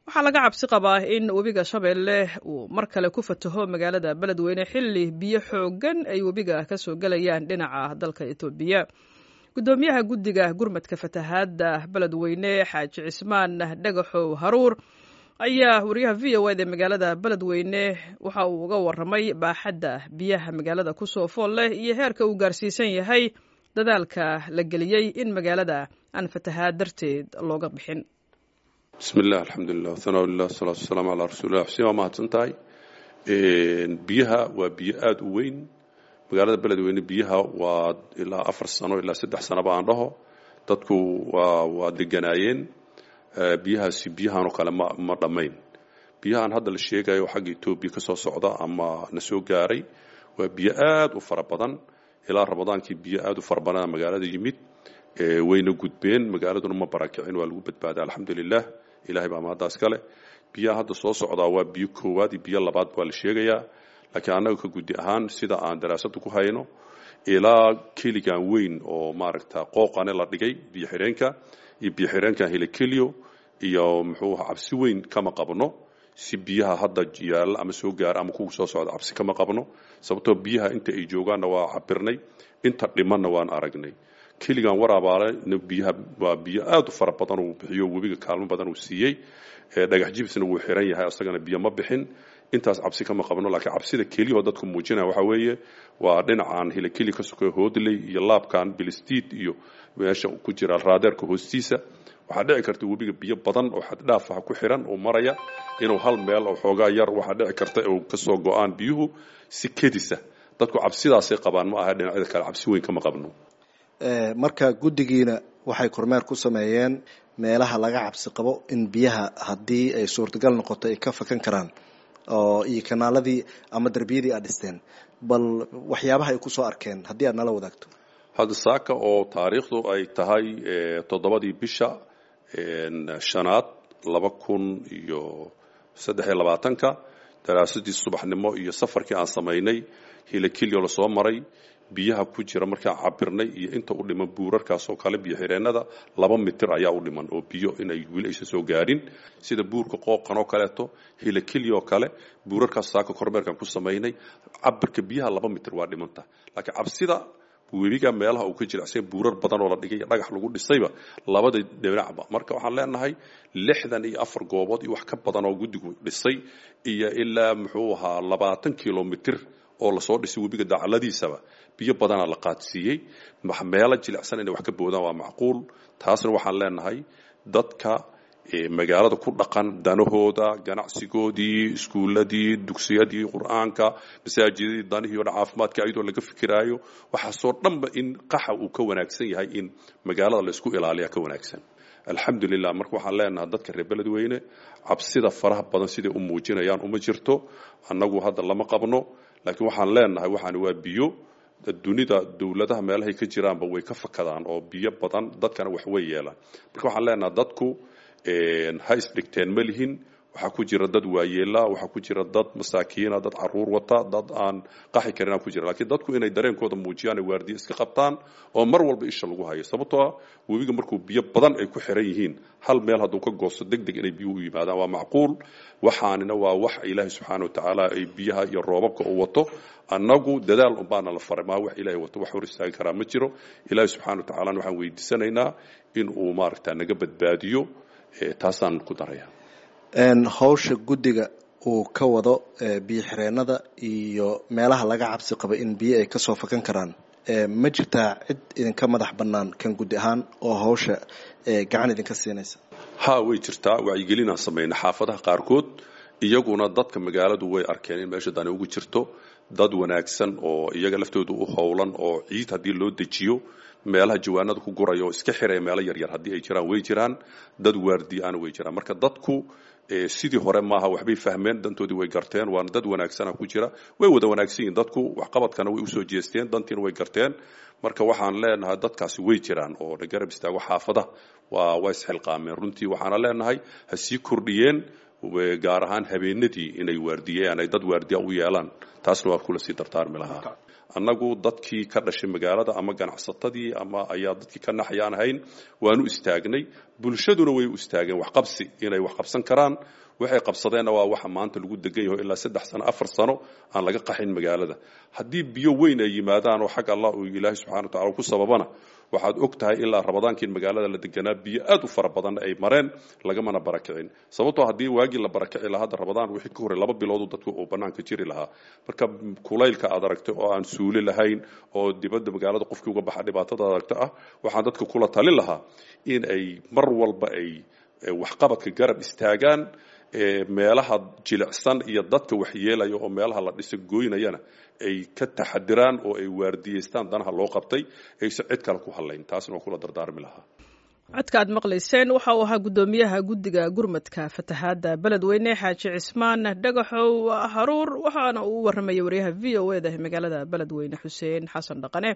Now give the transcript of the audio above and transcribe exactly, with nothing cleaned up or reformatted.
Waxaa laga cabsi qabaa in webiga Shabeelle uu mar kale ku fataho magaalada Beledweyne xilli biyo xooggan ay webiga ka soo gelayaan dhinaca dalka Itoobiya. Guddoomiyaha guddiga gurmadka fatahaadda Beledweyne, Xaaji Cismaan Dhagaxow Haruur, ayaa wariyaha V O eda magaalada Beledweyne waxa uu uga waramay baaxadda biyaha magaalada kusoo fool leh iyo heerka uu gaarsiisan yahay dadaalka la geliyey in magaalada aan fatahaad darteed looga bixin. Bismi illah, alxamdulilah, wasanaa lilah, wasalaatu wasalaamu calaa rasuulilah. Xuseen, waa mahadsan tahay. Biyaha waa biyo aada u weyn magaalada Beledweyne. Biyaha waa ilaa afar sano ilaa saddex sanoba aan dhaho dadku waa waa deganaayeen. Biyahaasi biyahan oo kale ma ma dhammayn. Biyahan hadda la sheegayo xagga Etoobiya ka soo socda ama na soo gaaray waa biyo aada u fara badan. Ilaa Ramadaankii biyo aada u fara badana magaalada yimid, wayna gudbeen, magaaladuna ma barakicin, waa lagu badbaaday, alxamdulilah, ilahay baa mahaddaas kale. Biyaha hadda soo socdaa waa biyo koowaad iyo biyo labaad waa la sheegayaa, laakiin annaga ka guddi ahaan sida aan daraasada ku hayno, ilaa keligan weyn oo maaragta qooqane la dhigay biyo xireenka iyo biyo xireenkan Hilakeliyo iyo muxuu aha, cabsi weyn kama qabno. Si biyaha hadda yaalla ama soo gaara ama kuwa soo socda cabsi kama qabno, sababtoo biyaha inta ay joogaanna waa cabirnay, inta dhimanna waan aragnay. Keligan Waraabaale biyaha waa biyo aada u fara badan uu bixiyo webiga, kaalmo badan uu siiyey. Dhagax Jibsna wuu xiran yahay, isagana biyo ma bixin. Intaas cabsi kama qabno, laakiin cabsida keliyahoo dadku muujinaya waxaa weeye waa dhinacan Hilakeli ka sokeyo, Hoodley iyo laabkan Bilistiid iyo meesha ku jira raadeerka hoostiisa. Waxaa dhici karta webiga biyo badan oo xaddhaaf ah ku xiran oo maraya inuu hal meel oo xoogaa yar, waxaa dhici karta uu kasoo go-aan biyuhu si kedisa. Dadku cabsidaasay qabaan, ma aha dhinacyada kale cabsi weyn kama qabno. Marka guddigiina waxay kormeer ku sameeyeen meelaha laga cabsi qabo in biyaha haddii ay suurtagal noqoto ay ka fakan karaan oo iyo kanaaladii ama darbiyadii aad dhisteen, bal waxyaabaha ay kusoo arkeen haddii aad nala wadaagto. Hadda saaka oo taariikhdu ay tahay toddobadii bisha shanaad laba kun iyo saddex iyo labaatanka, daraasadii subaxnimo iyo safarkii aan samaynay Hilakilyo lasoo maray, biyaha ku jira markaan cabirnay iyo inta u dhiman buurarkaas oo kale biyo xireennada, laba mitir ayaa u dhiman oo biyo inay weli aysan soo gaarin, sida buurka Qooqan oo kaleeto, Hilakilyo oo kale. Buurarkaas saaka kormeerkaan ku samaynay, cabirka biyaha laba mitir waa dhimanta, laakiin cabsida webiga meelaha uu ka jilicsan buurar badan oo la dhigay, dhagax lagu dhisayba labada dhinacba. Marka waxaan leenahay lixdan iyo afar goobood iyo wax ka badan oo guddigu dhisay iyo ilaa muxuu ahaa labaatan kilomitir oo lasoo dhisay webiga dacaladiisaba, biyo badanaa la qaadsiiyey. Meelo jilicsan inay wax ka boodaan waa macquul. Taasna waxaan leenahay dadka magaalada ku dhaqan danahooda, ganacsigoodii, iskuuladii, dugsiyadii qur-aanka, masaajidadii, danihii o dhan, caafimaadka, iyadoo laga fikiraayo waxaasoo dhanba in qaxa uu ka wanaagsan yahay in magaalada laysku ilaaliya ka wanaagsan, alxamdulilah. Marka waxaan leenahay dadka reer Beledweyne cabsida faraha badan siday u muujinayaan uma jirto, annagu hadda lama qabno, laakiin waxaan leenahay waxaan waa biyo. Dunida dowladaha meelahay ka jiraanba way ka fakadaan oo biyo badan dadkana wax way yeelaan. Marka waxaan leenahay dadku ha isdhigteen ma lihin. Waxaa ku jira dad waayeela, waxaa ku jira dad masaakiina, dad caruur wata, dad aan qaxi karin ku jira, laakiin dadku inay dareenkooda muujiyaan, ay waardiye iska qabtaan oo mar walba isha lagu hayo, sababtoo ah webiga markuu biyo badan ay ku xiran yihiin hal meel hadduu ka goosto, deg deg inay biyuhu u yimaadaan waa macquul. Waxaanina waa wax Ilaahay subxaana wa tacaala ay biyaha iyo roobabka uu wato. Annagu dadaal unbaana la faray, maa wax Ilahay wato wax hor istaagi karaa ma jiro. Ilaahay subxana wa tacalana waxaan weydiisanaynaa in uu maaragta naga badbaadiyo, taasaan ku daraya. Hawsha guddiga uu ka wado biyo xireennada iyo meelaha laga cabsi qabo in biyo ay kasoo fakan karaan, ma jirtaa cid idinka madax bannaan kan guddi ahaan oo hawsha gacan idinka siinaysa? Ha, way jirtaa. Wacyigelinaan samayna xaafadaha qaarkood, iyaguna dadka magaaladu way arkeen in meesha dani ugu jirto. Dad wanaagsan oo iyaga laftooda u howlan oo ciid haddii loo dejiyo meelaha jawaanada ku guraya oo iska xiraya meelo yaryar haddii ay jiraan way jiraan, dad waardiyaana way jiraan. Marka dadku sidii hore maaha, waxbay fahmeen, dantoodii way garteen, waana dad wanaagsana ku jira, way wada wanaagsan yihiin dadku, waxqabadkana way usoo jeesteen, dantiina way garteen. Marka waxaan leenahay dadkaasi way jiraan oo na garab istaago xaafadaha, waa waa isxilqaameen runtii. Waxaana leenahay ha sii kordhiyeen, gaar ahaan habeenadii inay waardiyeen ay dad waardiya u yeelaan, taasna waa kula sii dardaarmi lahaa. Annagu dadkii ka dhashay magaalada ama ganacsatadii ama ayaa dadkii ka naxayaan ahayn, waanu istaagnay, bulshaduna way u istaageen waxqabsi inay wax qabsan karaan. Waxay qabsadeenna waa waxa maanta lagu degan yaho ilaa saddex sano afar sano aan laga qaxin magaalada. Haddii biyo weyn ay yimaadaan oo xag Allah uu Ilaahay subxana wa tacala ku sababana, waxaad og tahay ilaa rabadaankii magaalada la deganaa biyo aad u fara badan ay mareen, lagamana barakicin. Sababtoo haddii waagii la barakici lahaa, hadda rabadaan wixii ka horey laba biloodu dadku uu bannaanka jiri lahaa. Marka kulaylka aad aragtay oo aan suuli lahayn oo dibadda magaalada qofkii uga baxa dhibaatada aragta ah, waxaan dadka kula talin lahaa in ay mar walba ay waxqabadka garab istaagaan, meelaha jilicsan iyo dadka waxyeelaya oo meelaha la dhisa goynayana ay ka taxadiraan oo ay waardiyeystaan danaha loo qabtay, aysan cid kale ku hadlayn. Taasna waa kula dardaarmi lahaa. Codka aad maqlayseen waxa uu ahaa guddoomiyaha guddiga gurmadka fatahaadda Beledweyne, Xaaji Cismaan Dhagaxow Haruur, waxaana uu u warramayay wariyaha V O E da magaalada Beledweyne, Xuseen Xasan Dhaqane.